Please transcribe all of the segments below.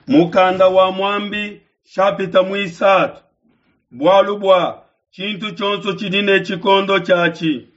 Mukanda wa Muambi shapita muisatu. Bualu bua tshintu tshionso tshidi ne tshikondo tshiatshi,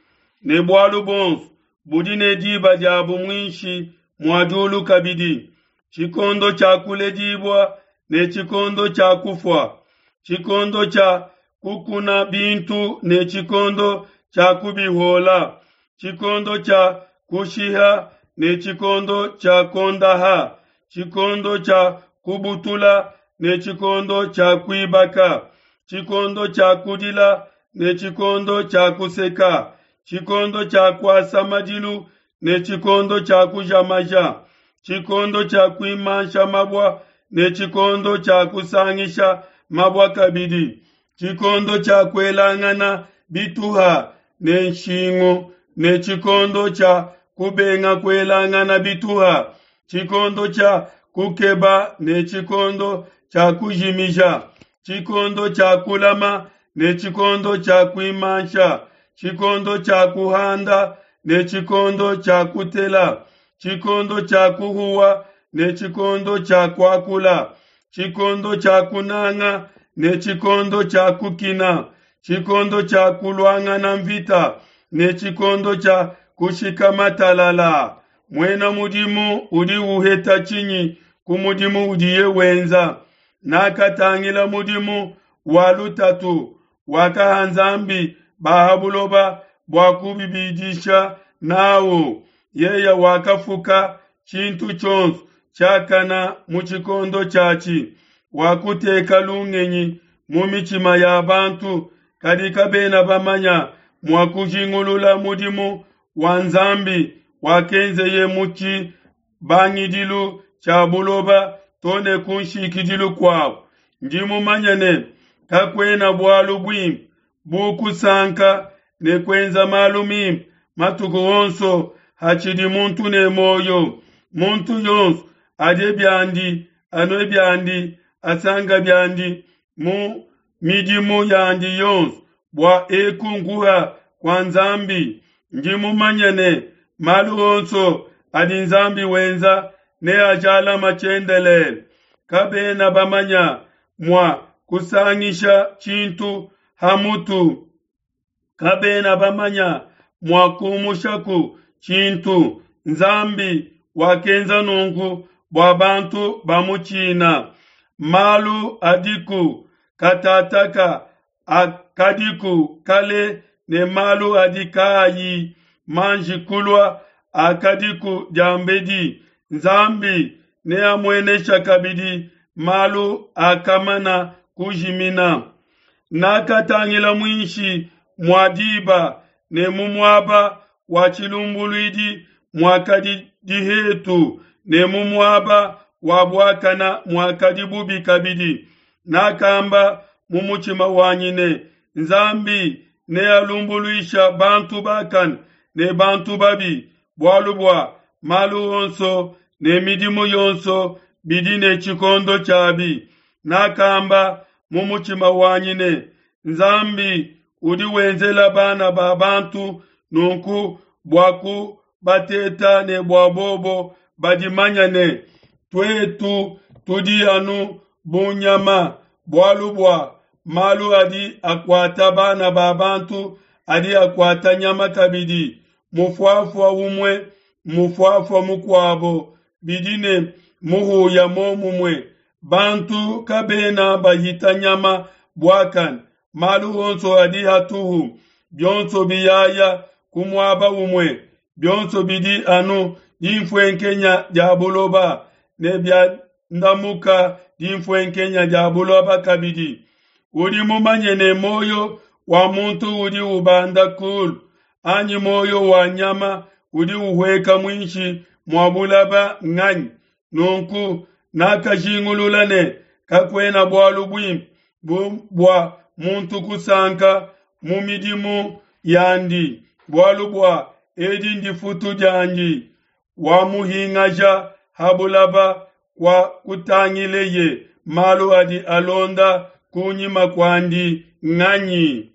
ne bualu buonso budi ne diba diabu muinshi mua diulu kabidi, tshikondo tshia kuledibua ne tshikondo tshia kufua, tshikondo tshia kukuna bintu ne tshikondo tshia kubihuola, tshikondo tshia kushiha ne tshikondo tshia kuondaha, tshikondo tshia kubutula ne tshikondo tshia kuibaka, tshikondo tshia kudila ne tshikondo tshia kuseka, tshikondo tshia kuasa madilu ne tshikondo tshia kuja maja, tshikondo tshia kuimansha mabua ne tshikondo tshia kusangisha mabua kabidi, tshikondo tshia kuelangana bituha ne nshingu ne tshikondo tshia kubenga kuelangana bituha, tshikondo tshia kukeba ne tshikondo tshia kujimija, tshikondo tshia kulama ne tshikondo tshia kuimansha, tshikondo tshia kuhanda ne tshikondo tshia kutela, tshikondo tshia kuhuwa ne tshikondo tshia kuakula, tshikondo tshia kunanga ne tshikondo tshia kukina, tshikondo tshia kuluangana mvita ne tshikondo tshia kushikama talala. Muena mudimu udi uheta tshinyi ku mudimu udiye wenza? Nakatangila mudimu wa lutatu wakaha Nzambi ba ha buloba bua kubibidisha n'au. Yeye wakafuka tshintu tshionso tshiakana mu tshikondo tshiatshi, wakuteka lungenyi mu mitshima ya bantu, kadi kabena bamanya mua kujingulula mudimu wa Nzambi wakenzeye mu tshibangidilu tshia buloba to ne ku nshikidilu kuabu. Ndi mumanye ne kakuena bualu buimpe bu kusanka ne kuenza malu mimpe matuku onso hatshidi muntu ne muoyo. Muntu yonso adie biandi, anue biandi, asanka biandi mu midimu yandi yonso, bua eku nkuha kua Nzambi. Ndi mumanye ne malu onso adi Nzambi wenza neajalama tshiendelele. Kabena bamanya mua kusangisha tshintu ha mutu, kabena bamanya mua kumushaku tshintu. Nzambi wakenza nunku bua bantu bamutshina. Malu adiku katataka akadiku kale ne malu adi kaayi manji kulua akadiku diambedi. Nzambi neamuenesha kabidi malu akamana kujimina. Nakatangila muinshi mua diba ne mu muaba wa tshilumbuluidi muakadi dihetu ne mu muaba wa buakana muakadi bubi kabidi. Nakamba mu mutshima wanyi ne, Nzambi nealumbuluisha bantu bakane ne bantu babi, bualu bua malu onso ne midimu yonso bidi ne tshikondo tshiabi. Nakamba mu mutshima wanyi ne, Nzambi udi wenzela bana ba bantu nunku bua kubateta ne bua bobo badimanya ne, tuetu tudi anu bu nyama, bualu bua malu adi akuata bana ba bantu adi akuata nyama kabidi. Mufuafua umue mufuafua mukuabo bidi ne muhuya momumue. Bantu kabena bahita nyama buakane, malu onso adi hatuhu, bionso biyaya ku muaba umue, bionso bidi anu dinfuenkenya dia buloba ne biandamuka dinfuenkenya dia buloba kabidi. Udi mumanye ne muoyo wa muntu udi ubanda kulu, anyi muoyo wa nyama udi uhueka muinshi mua bulaba nganyi? Nunku nakajingulula ne kakuena bualu buimpe bu bua muntu kusanka mu midimu yandi, bualu bua edi ndifutu diandi. Wamuhingaja ha bulaba kua kutangileye malu adi alonda kunyima kuandi nganyi?